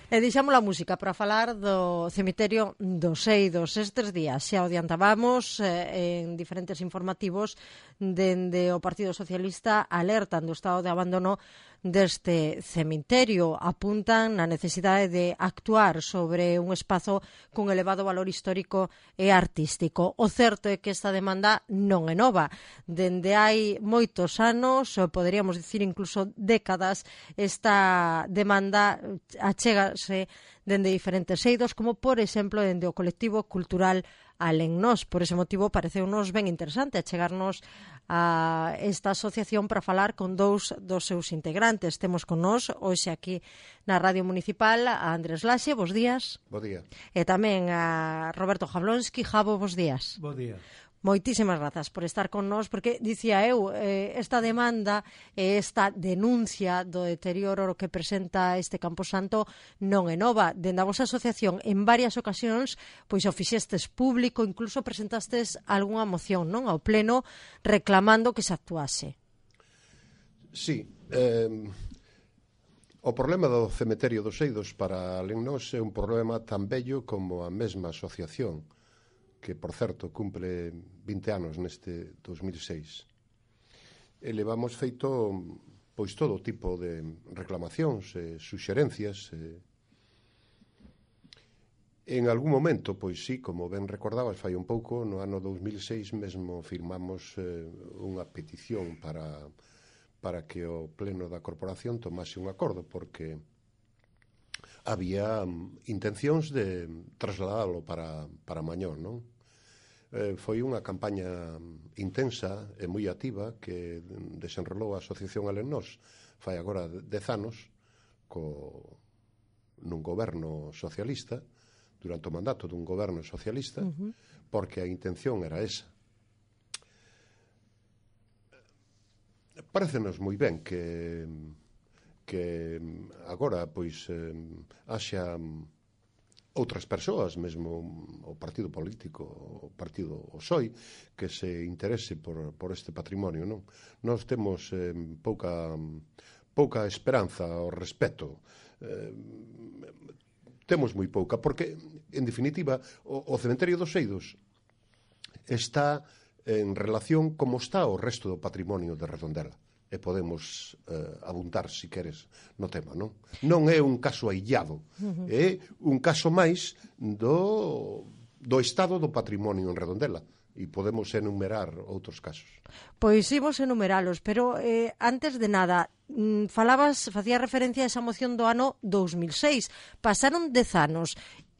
E deixamos a música para falar do cemiterio dos Eidos. Estes días xa o adiantábamos en diferentes informativos dende o Partido Socialista alertan do estado de abandono deste cemiterio. Apuntan na necesidade de actuar sobre un espazo con elevado valor histórico e artístico. O certo é que esta demanda non é nova. Dende hai moitos anos, poderíamos dicir incluso décadas, esta demanda achégase dende diferentes eidos, como por exemplo dende o colectivo cultural Alén Nós. Por ese motivo pareceunos ben interesante achegarnos a esta asociación para falar con dous dos seus integrantes. Temos con nós hoxe aquí na Radio Municipal a Andrés Laxe, bos días. Bo día. E tamén a Roberto Jablonski. Jabo, bos días. Bo día. Moitísimas grazas por estar con nós, porque dicía eu, esta demanda e esta denuncia do deterioro que presenta este Camposanto non é nova. Dende a vosa asociación, en varias ocasións, pois o fixestes público, incluso presentastes algunha moción, non, ao pleno, reclamando que se actuase. Sí, o problema do cemiterio dos Eidos para Alén Nós é un problema tan bello como a mesma asociación, que, por certo, cumple 20 anos neste 2006. E levamos feito pois todo tipo de reclamacións, suxerencias. En algún momento, pois sí, como ben recordabas, fai un pouco, no ano 2006 mesmo firmamos unha petición para que o pleno da corporación tomase un acordo, porque había intencións de trasladalo para Mañón, non? Foi unha campaña intensa e moi activa que desenrolou a Asociación Alén Nós fai agora 10 anos nun goberno socialista, durante o mandato dun goberno socialista, porque a intención era esa. Parécenos moi ben que agora pois haxa outras persoas, mesmo o partido político, o partido o PSOE, que se interese por este patrimonio, non? Nós temos pouca esperanza ao respecto. Temos moi pouca, porque, en definitiva, o cemiterio dos Eidos está en relación como está o resto do patrimonio de Redondela. E podemos abundar, se queres, no tema, non? Non é un caso aillado, é un caso máis do estado do patrimonio en Redondela, e podemos enumerar outros casos. Pois imos enumeralos, pero antes de nada, facía referencia a esa moción do ano 2006. Pasaron 10 anos.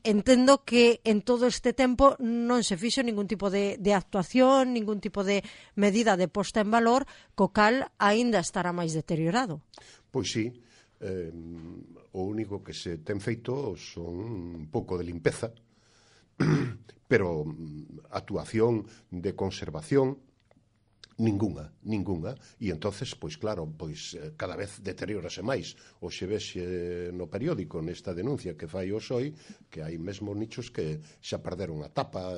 Entendo que en todo este tempo non se fixo ningún tipo de actuación, ningún tipo de medida de posta en valor, co cal aínda estará máis deteriorado. Pois sí, o único que se ten feito son un pouco de limpeza, pero actuación de conservación ninguna, e entonces, pois claro, pois cada vez deteriórase máis. Hoxe vexe no periódico nesta denuncia que fai o PSOE que hai mesmo nichos que xa perderon a tapa,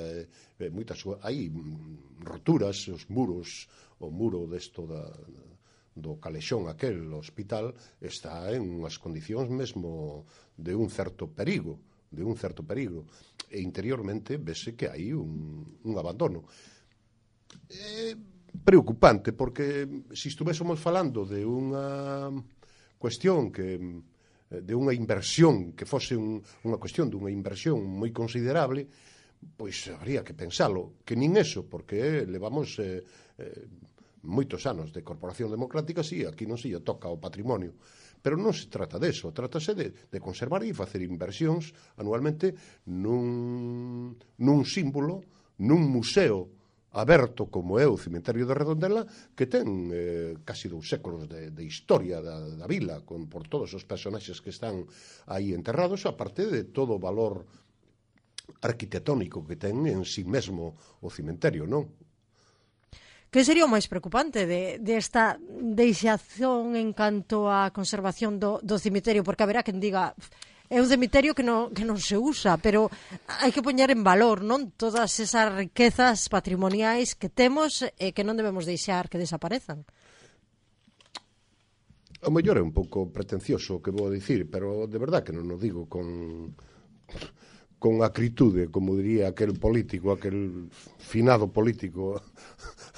moitas hai roturas, os muros, o muro desto do calexón aquel, o hospital, está en unhas condicións mesmo de un certo perigo, e interiormente vese que hai un abandono. Preocupante, porque se estuvésemos falando de unha cuestión de unha inversión que fose unha cuestión dunha inversión moi considerable, pois habría que pensalo, que nin eso, porque levamos moitos anos de Corporación Democrática, sí, aquí non se lle toca o patrimonio, pero non se trata deso, trátase de conservar e facer inversións anualmente nun símbolo, nun museo aberto como é o cemiterio de Redondela, que ten casi 2 séculos de historia da vila, por todos os personaxes que están aí enterrados, aparte de todo o valor arquitectónico que ten en sí mesmo o cemiterio, non? Que sería o máis preocupante desta deixación en canto á conservación do cemiterio? Porque haberá quen diga, é un cemiterio que non se usa, pero hai que poñer en valor, non, todas esas riquezas patrimoniais que temos e que non debemos deixar que desaparezan. O mellor é un pouco pretencioso o que vou dicir, pero de verdad que non o digo con acritude, como diría aquel político, aquel finado político,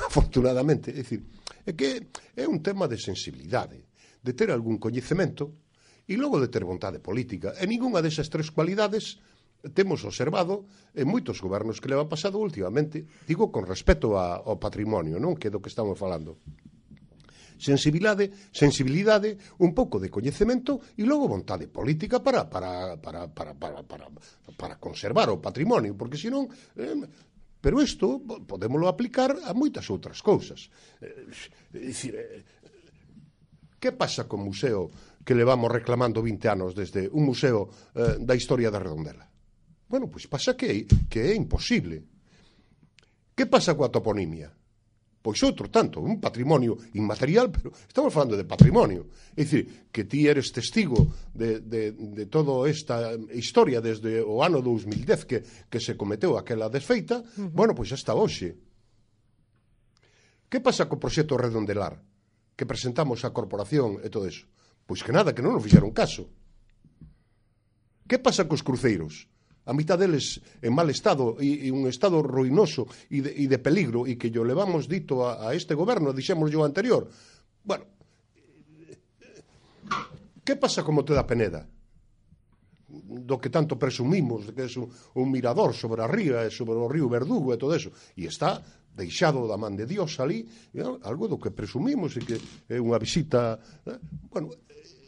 afortunadamente. É dicir, é que é un tema de sensibilidade, de ter algún coñecemento e logo de ter vontade política. E ningunha desas tres cualidades temos observado en moitos gobernos que leva pasado últimamente, digo con respecto ao patrimonio, non? Que é do que estamos falando. Sensibilidade, un pouco de coñecemento e logo vontade política para conservar o patrimonio, porque senón pero isto podémolo aplicar a moitas outras cousas. Que pasa co museo que levamos reclamando 20 anos desde un museo da historia da Redondela? Bueno, pois pasa que é imposible. Que pasa coa toponimia? Pois outro tanto, un patrimonio inmaterial, pero estamos falando de patrimonio. É dicir, que ti eres testigo de toda esta historia desde o ano 2010 que se cometeu aquela desfeita, bueno, pois hasta hoxe. Que pasa co proxecto Redondelar? Que presentamos á corporación e todo eso? Pois que nada, que non nos fixeron caso. Que pasa cos cruceiros? A mitad deles en mal estado e un estado ruinoso e de peligro e que yo levamos dito a este goberno, dixemos yo anterior. Bueno, que pasa como te da Peneda? Do que tanto presumimos, de que é un mirador sobre a ría e sobre o río Verdugo e todo eso. E está deixado da man de Dios ali, algo do que presumimos e que é unha visita... Bueno,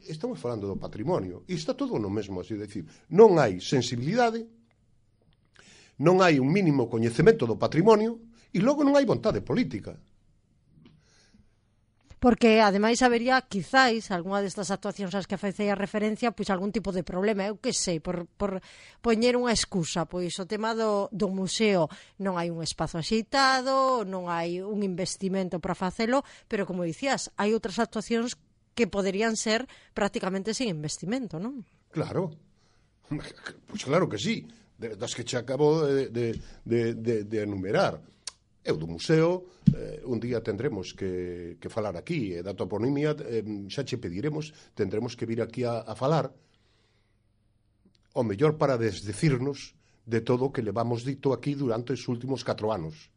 estamos falando do patrimonio e está todo no mesmo, así decir, non hai sensibilidade, non hai un mínimo coñecemento do patrimonio e logo non hai vontade política. Porque, ademais, habería, quizáis, algunha destas actuacións ás que facei a referencia, pois algún tipo de problema, eu que sei, por poñer unha excusa, pois o tema do museo, non hai un espazo axeitado, non hai un investimento para facelo, pero, como dicías, hai outras actuacións que poderían ser prácticamente sin investimento, non? Claro, pois claro que sí, das que che acabo de enumerar. Eu do museo, un día tendremos que falar aquí, da toponimia, xa che pediremos, tendremos que vir aquí a falar, o mellor para desdecirnos de todo o que levamos dito aquí durante os últimos 4 anos.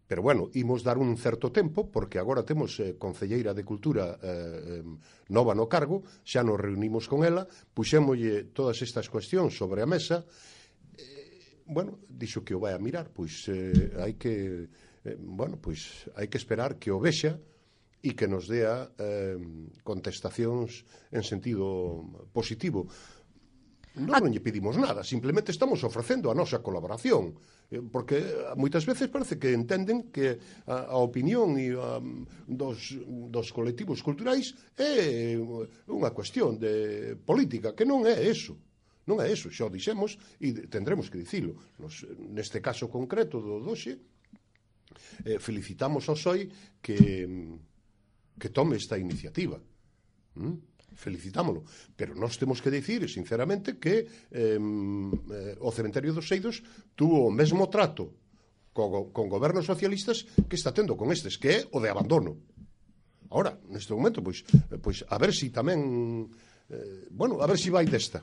Pero, bueno, imos dar un certo tempo, porque agora temos concelleira de Cultura nova no cargo, xa nos reunimos con ela, puxémolle todas estas cuestións sobre a mesa, bueno, dixo que o vai a mirar, pois hai que, bueno, pois hai que esperar que o vexa e que nos dea contestacións en sentido positivo. Non lle pedimos nada, simplemente estamos ofrecendo a nosa colaboración, porque moitas veces parece que entenden que a opinión dos colectivos culturais é unha cuestión de política, que non é eso. Non é eso, xa o dixemos e tendremos que dicilo. Neste caso concreto do Doxe, felicitamos ao SOI que tome esta iniciativa. Felicitámolo, pero nós temos que dicir sinceramente que o Cementerio dos Seidos tuvo o mesmo trato con gobernos socialistas que está tendo con estes, que é o de abandono. Ahora, neste momento, pois a ver si tamén bueno, a ver si vai desta.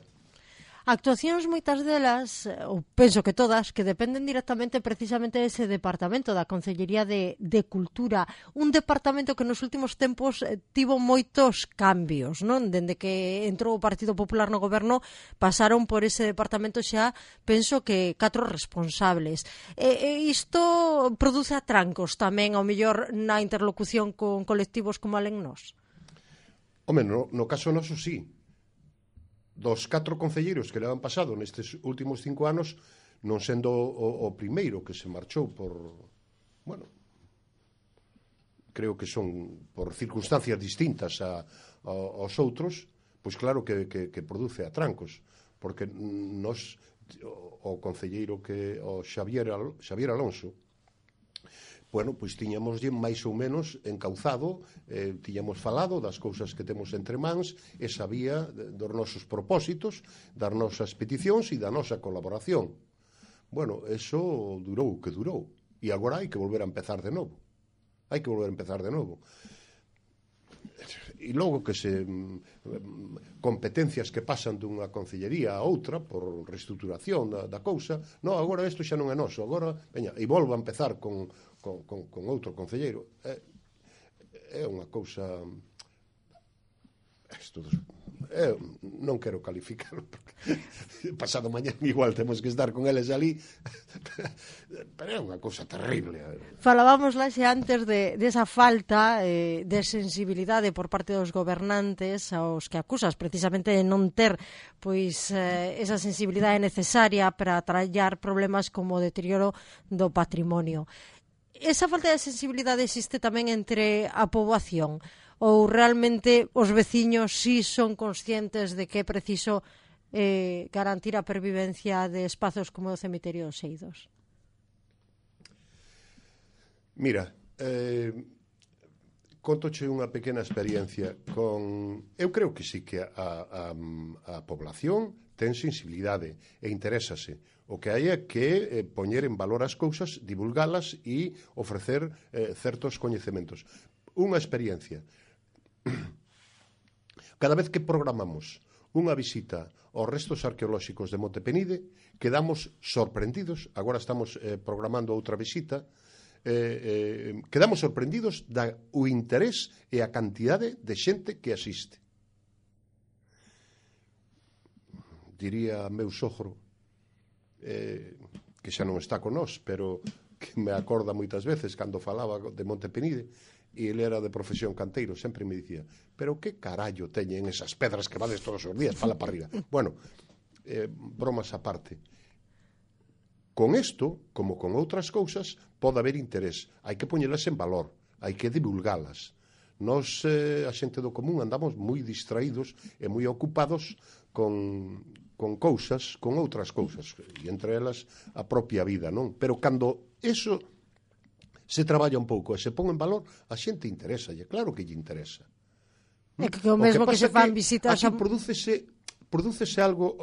Actuacións moitas delas, ou penso que todas, que dependen directamente precisamente dese departamento da Concellería de Cultura, un departamento que nos últimos tempos tivo moitos cambios, non? Dende que entrou o Partido Popular no goberno, pasaron por ese departamento xa, penso que 4 responsables. Isto produce atrancos tamén, ao mellor, na interlocución con colectivos como Alén Nós? Home, no caso noso sí. Dos 4 concelleiros que le han pasado nestes últimos 5 anos, non sendo o primeiro que se marchou por, bueno, creo que son por circunstancias distintas aos outros, pois claro que produce atrancos, porque nos, o concelleiro o Xavier Alonso, bueno, pois tiñamos máis ou menos encauzado, tiñamos falado das cousas que temos entre mans e sabía dos nosos propósitos, das nosas peticións e da nosa colaboración. Bueno, eso durou o que durou e agora hai que volver a empezar de novo. E logo que se competencias que pasan dunha concellería a outra por reestruturación da cousa, non, agora isto xa non é noso, agora, veña, e volvo a empezar con outro concelleiro. É unha cousa... non quero calificarlo porque pasado mañán igual temos que estar con eles ali, pero é unha cousa terrible. Falábamos lá xa antes de esa falta de sensibilidade por parte dos gobernantes aos que acusas precisamente de non ter pois esa sensibilidade necesaria para traballar problemas como o deterioro do patrimonio. Esa falta de sensibilidade existe tamén entre a poboación? Ou realmente os veciños sí son conscientes de que é preciso garantir a pervivencia de espazos como o cemiterio dos Eidos? Mira, contoche unha pequena experiencia con... Eu creo que sí que a población ten sensibilidade e interésase. O que hai é que poñer en valor as cousas, divulgalas e ofrecer certos coñecementos. Unha experiencia. Cada vez que programamos unha visita aos restos arqueolóxicos de Monte Penide, quedamos sorprendidos, agora estamos programando outra visita, quedamos sorprendidos do interés e a cantidade de xente que asiste. Diría meu sogro, que xa non está con nós, pero que me acorda moitas veces cando falaba de Monte Penide, e ele era de profesión canteiro, sempre me dicía, pero que carallo teñen esas pedras que vades todos os días, fala para arriba. Bueno, bromas aparte. Con isto, como con outras cousas, pode haber interés. Hai que poñelas en valor, hai que divulgalas. Nós, a xente do común, andamos moi distraídos e moi ocupados con cousas, con outras cousas, e entre elas a propia vida, non? Pero cando eso se traballa un pouco e se pon en valor, a xente interesa, e claro que lle interesa. É que o mesmo que se fan visitas... Aquí prodúcese algo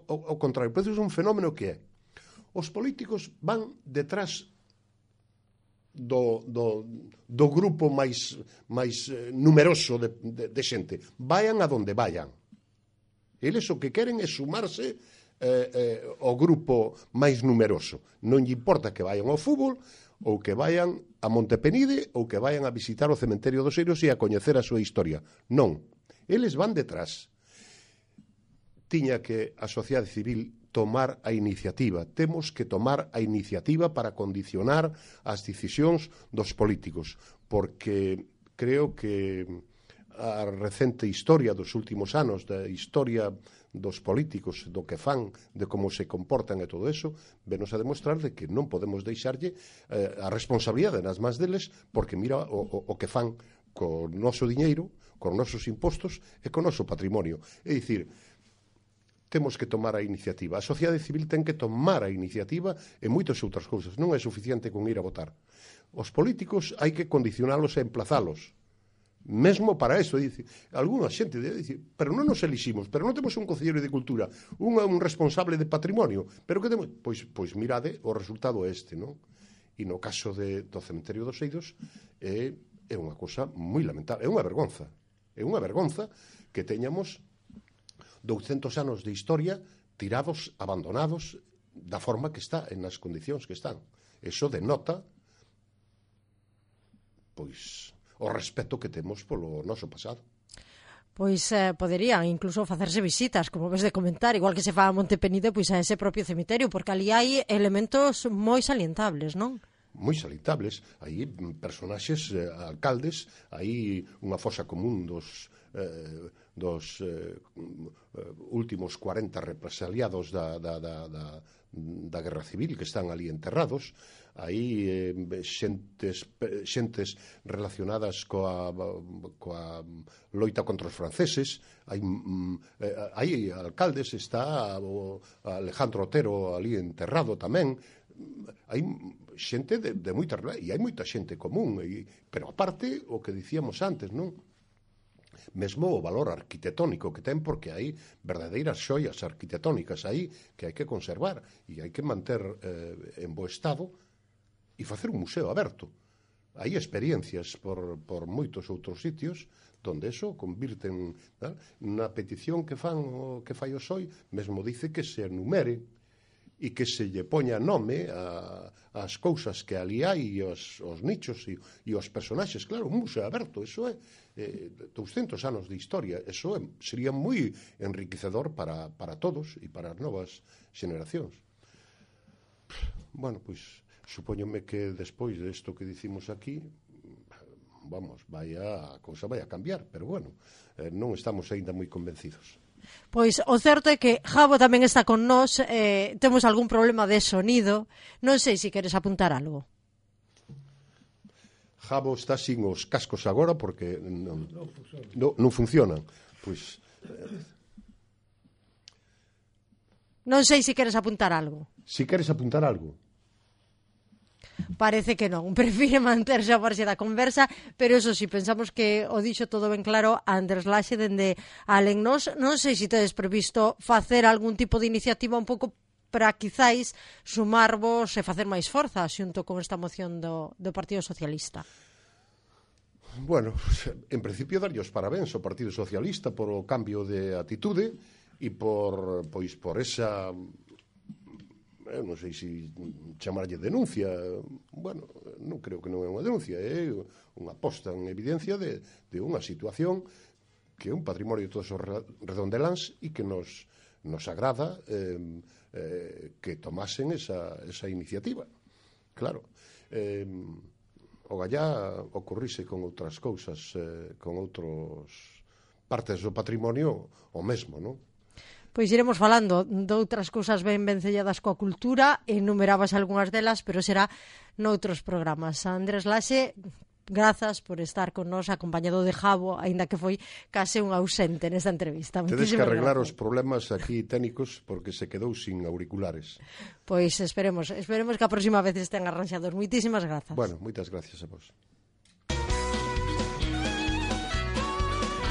ao contrario, prodúcese un fenómeno que é os políticos van detrás do grupo máis numeroso de xente. Vayan a donde vayan. Eles o que queren é sumarse ao grupo máis numeroso. Non lle importa que vayan ao fútbol ou que vayan a Monte Penide ou que vayan a visitar o cementerio dos Eidos e a coñecer a súa historia. Non. Eles van detrás. Tiña que a sociedade civil tomar a iniciativa. Temos que tomar a iniciativa para condicionar as decisións dos políticos, porque creo que a recente historia dos últimos anos, da historia dos políticos, do que fan, de como se comportan e todo eso, venos a demostrar de que non podemos deixarlle a responsabilidade nas mans deles, porque mira o que fan co noso diñeiro, con nosos impostos e con noso patrimonio. É dicir, temos que tomar a iniciativa. A sociedade civil ten que tomar a iniciativa en moitas outras cousas. Non é suficiente con ir a votar. Os políticos hai que condicionalos e emplazalos. Mesmo para eso, dice, alguna xente dice, pero non nos eliximos, pero non temos un concelleiro de cultura, un responsable de patrimonio, pero que temos? Pois mirade, o resultado é este, non? E no caso do cementerio dos Eidos é unha cousa moi lamentable, é unha vergonza que teñamos 200 anos de historia tirados, abandonados da forma que está, en as condicións que están. Eso denota pois o respeto que temos polo noso pasado. Pois poderían incluso facerse visitas, como ves de comentar, igual que se fa a Monte Penide, pois a ese propio cemiterio, porque ali hai elementos moi salientables, non? Moi salientables, hai personaxes, alcaldes, hai unha fosa común dos últimos 40 represaliados da Guerra Civil que están ali enterrados, hai xentes relacionadas coa loita contra os franceses, hai alcaldes, está o Alejandro Otero ali enterrado tamén, hai xente de moita, e hai moita xente común, pero aparte o que dicíamos antes, non? Mesmo o valor arquitectónico que ten, porque hai verdadeiras xoias arquitectónicas aí que hai que conservar e hai que manter en bo estado e facer un museo aberto. hai experiencias por moitos outros sitios donde eso convirten na petición que fai o SOI, mesmo dice que se enumere e que se lle poña nome ás cousas que ali hai, os nichos e os personaxes. Claro, un museo aberto, eso é 200 anos de historia, eso sería moi enriquecedor para todos e para as novas xeneracións. Bueno, pois supóñome que despois desto que dicimos aquí, vamos, a cousa vai a cambiar, pero bueno, non estamos aínda moi convencidos. Pois o certo é que Jabo tamén está con nós, temos algún problema de sonido, non sei se queres apuntar algo. Jabo está sin os cascos agora porque non funcionan. Pois non sei se queres apuntar algo. Si queres apuntar algo. Parece que non, prefire manterse a marxe da conversa, pero eso si pensamos que o dixo todo ben claro Andrés Laxe dende Alen. Non sei se tedes previsto facer algún tipo de iniciativa un pouco para quizáis sumarvos e facer máis forza xunto con esta moción do Partido Socialista. Bueno, en principio darlle os parabéns ao Partido Socialista por o cambio de atitude e por esa... non sei se chamarlle denuncia, bueno, non creo que non é unha denuncia, é unha posta en evidencia de unha situación que é un patrimonio de todos os redondeláns e que nos agrada que tomasen esa iniciativa. Claro, o gallá ocorrise con outras cousas, con outros partes do patrimonio o mesmo, non? Pois iremos falando de outras cousas ben selladas coa cultura, enumerabas algunhas delas, pero será noutros programas. Andrés Laxe, grazas por estar con nós acompañado de Jabo, aínda que foi case un ausente nesta entrevista. Tedes que arreglar os problemas aquí técnicos porque se quedou sin auriculares. Pois esperemos que a próxima vez estén arranxados. Moitísimas grazas. Bueno, moitas gracias a vos.